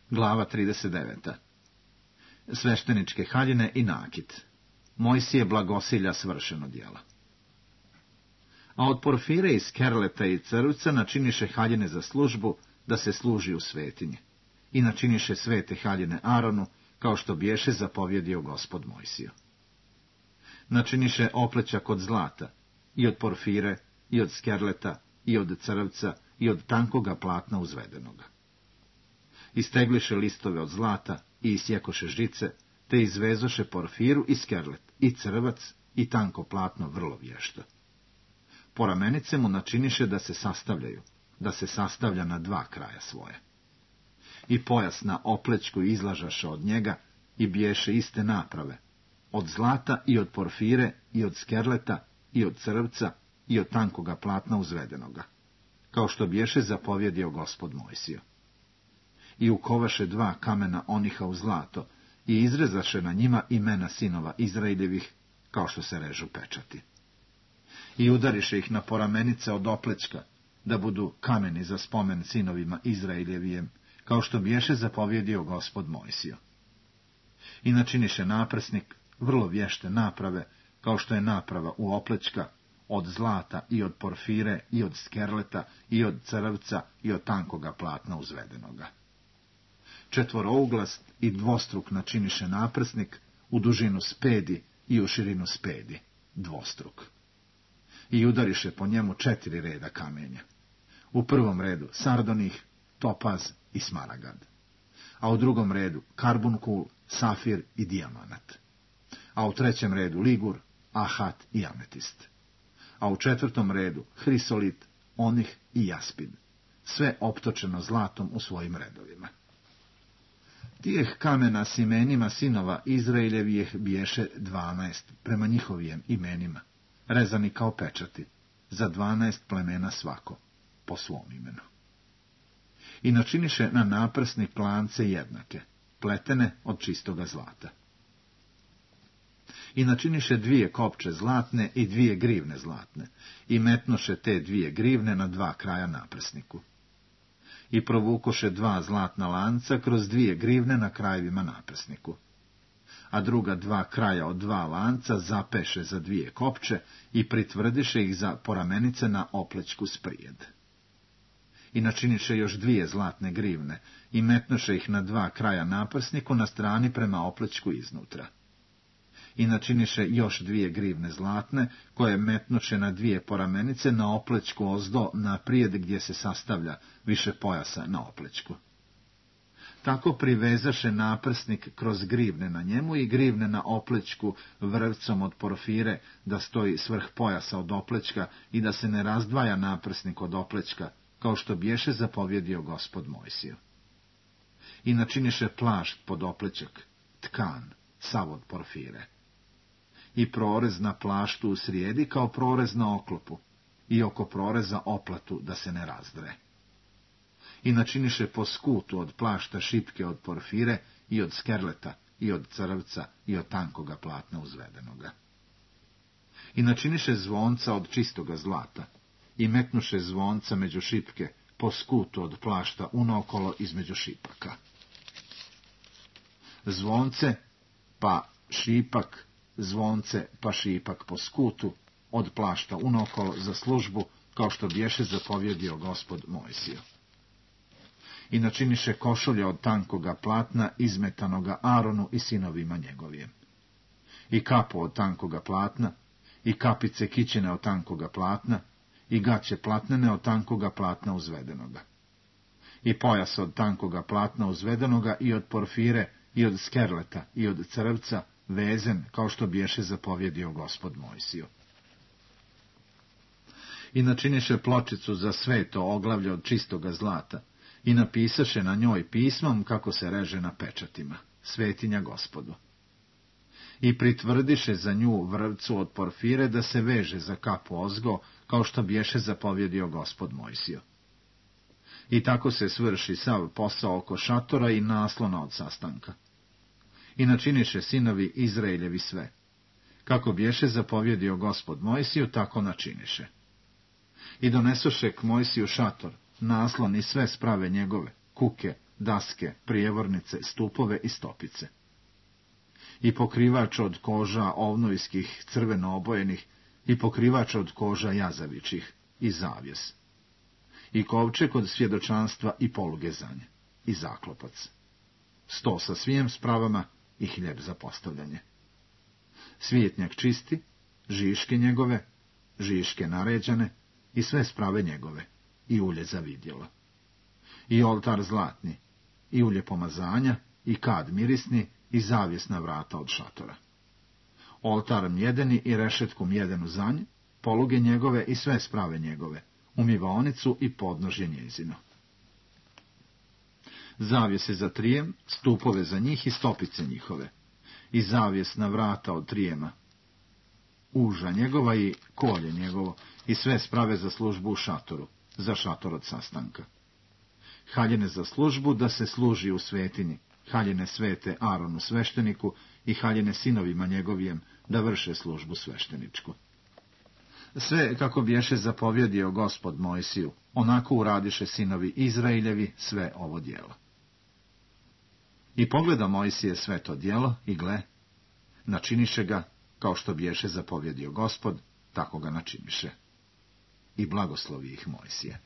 Glava 39. Svešteničke haljine i nakit. Mojsije blagosilja svršeno djela. A od porfire i skerleta i crvca načiniše haljine za službu, da se služi u svetinji. I načiniše svete haljine Aronu, kao što biješe zapovjedio Gospod Mojsiju. Načiniše oplećak od zlata, i od porfire, i od skerleta, i od crvca, i od tankoga platna uzvedenoga. Istegliše listove od zlata i isjekoše žice, te izvezoše porfiru i skerlet, i crvac, i tanko platno vrlo vješto. Po ramenice mu načiniše da se sastavljaju, da se sastavlja na dva kraja svoje. I pojas na oplećku izlažaše od njega i biješe iste naprave, od zlata i od porfire i od skerleta i od crvca i od tankoga platna uzvedenoga, kao što biješe zapovjedio Gospod Mojsiju. I ukovaše dva kamena oniha u zlato i izrezaše na njima imena sinova Izraeljevih, kao što se režu pečati. I udariše ih na poramenice od oplećka, da budu kameni za spomen sinovima Izraeljevijem, kao što biješe zapovjedio Gospod Mojsiju. I načiniše naprsnik, vrlo vješte naprave, kao što je naprava u oplećka, od zlata i od porfire i od skerleta i od crvca i od tankoga platna uzvedenoga. Četvorouglas i dvostruk načiniše naprsnik, u dužinu spedi i u širinu spedi, dvostruk. I udariše po njemu 4 reda kamenja. U prvom redu sardonih, topaz i smaragad. A u drugom redu karbunkul, safir i dijamanat. A u trećem redu ligur, ahat i ametist. A u četvrtom redu hrisolit, onih i jaspid. Sve optočeno zlatom u svojim redovima. Tijeh kamena s imenima sinova Izraeljevijeh biješe 12 prema njihovijem imenima, rezani kao pečati, za 12 plemena svako, po svom imenu. I načiniše na naprsni plance jednake, pletene od čistoga zlata. I načiniše 2 kopče zlatne i 2 grivne zlatne, i metnoše te 2 grivne na 2 kraja naprsniku. I provukoše 2 zlatna lanca kroz 2 grivne na krajevima naprsniku. A druga 2 kraja od 2 lanca zapeše za 2 kopče i pritvrdiše ih za poramenice na oplećku sprijed. I načiniše još 2 zlatne grivne i metnoše ih na 2 kraja naprsniku na strani prema oplećku iznutra. I načiniše još 2 grivne zlatne, koje metnoše na 2 poramenice na oplećku ozdo naprijed gdje se sastavlja više pojasa na oplećku. Tako privezaše naprsnik kroz grivne na njemu i grivne na oplećku vrvcom od porfire, da stoji svrh pojasa od oplećka i da se ne razdvaja naprsnik od oplećka, kao što biješe zapovjedio Gospod Mojsiju. I načiniše plašt pod oplećak, tkan, sav od porfire. I prorez na plaštu u srijedi kao prorez na oklopu, i oko proreza oplatu da se ne razdre. I načiniše po skutu od plašta šipke od porfire i od skerleta i od crvca i od tankoga platna uzvedenoga. I načiniše zvonca od čistoga zlata i metnuše zvonca među šipke po skutu od plašta unaokolo između šipaka. Zvonce pa šipak, zvonce pa šipak po skutu od plašta unaokolo za službu, kao što biješe zapovjedio Gospod Mojsiju. I načiniše košulje od tankoga platna izmetanoga Aronu i sinovima njegovijem. I kapu od tankoga platna, i kapice kićene od tankoga platna, i gaće platnene od tankoga platna uzvedenoga. I pojas od tankoga platna uzvedenoga i od porfire, i od skerleta, i od crvca, vezen, kao što biješe zapovjedio Gospod Mojsiju. I načiniše pločicu za sveto oglavlje od čistoga zlata, i napisaše na njoj pismom kako se reže na pečatima, svetinja Gospodu. I pritvrdiše za nju vrvcu od porfire da se veže za kapu ozgo, kao što biješe zapovjedio Gospod Mojsiju. I tako se svrši sav posao oko šatora i naslona od sastanka. I načiniše sinovi Izraeljevi sve. Kako biješe zapovjedio Gospod Mojsiju, tako načiniše. I donesoše k Mojsiju šator, naslon i sve sprave njegove, kuke, daske, prijevornice, stupove i stopice. I pokrivač od koža ovnojskih crveno obojenih, i pokrivač od koža jazavičih, i zavjes. I kovčeg od svjedočanstva i poluge za nje, i zaklopac. Sto sa svijem spravama i hljeb za postavljanje. Svijetnjak čisti, žiške njegove, žiške naređane, i sve sprave njegove, i ulje za vidjelo. I oltar zlatni, i ulje pomazanja, i kad mirisni, i zavjesna vrata od šatora. Oltar mjedeni i rešetku mjedenu za nje, poluge njegove i sve sprave njegove, umivaonicu i podnožje njezino. Zavjese za trijem, stupove za njih i stopice njihove, i zavjesna vrata od trijema, uža njegova i kolje njegovo, i sve sprave za službu u šatoru, za šator od sastanka. Haljine za službu da se služi u svetinji, haljine svete Aronu svešteniku i haljine sinovima njegovijem da vrše službu svešteničku. Sve kako biješe zapovjedio Gospod Mojsiju, onako uradiše sinovi Izraeljevi sve ovo djelo. I pogleda Mojsije sve to djelo i gle, načiniše ga kao što biješe zapovjedio Gospod, tako ga načiniše. I blagoslovi ih Mojsije.